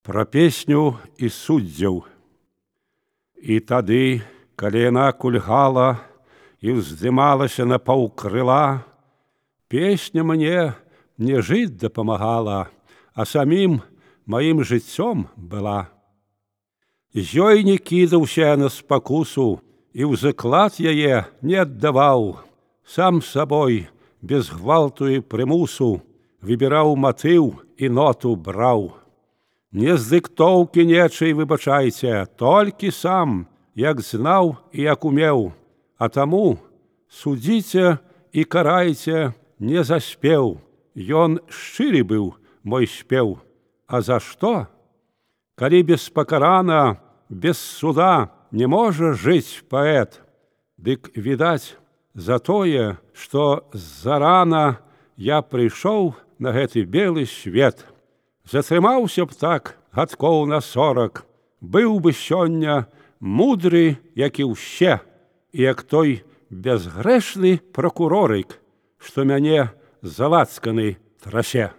Пра песню і суддзяў. І тады, калі яна кульгала і ўздымалася на паўкрыла, песня мне не жыць дапамагала, а самім маім жыццём была. З ёй не кідаўся на спакусу і ў заклад яе не аддаваў, сам сабой, без гвалту і прымусу, выбіраў матыў і ноту браў. Не з дыктоўкі нечай, выбачайце, толькі сам, як знаў і як умеў, а таму судзіце і карайце не заспеў. Ён шчыры быў, мой спеў. А за што? Калі беспакарана, без суда не можа жыць паэт, дык, відаць, за тое, што зарана я прыйшоў на гэты белы свет. Затрымаўся б так гадкоў на 40, быў бы сёння мудры, як і ўсе, і як той бязгрэшны пракурорык, што мяне залацканы трасе.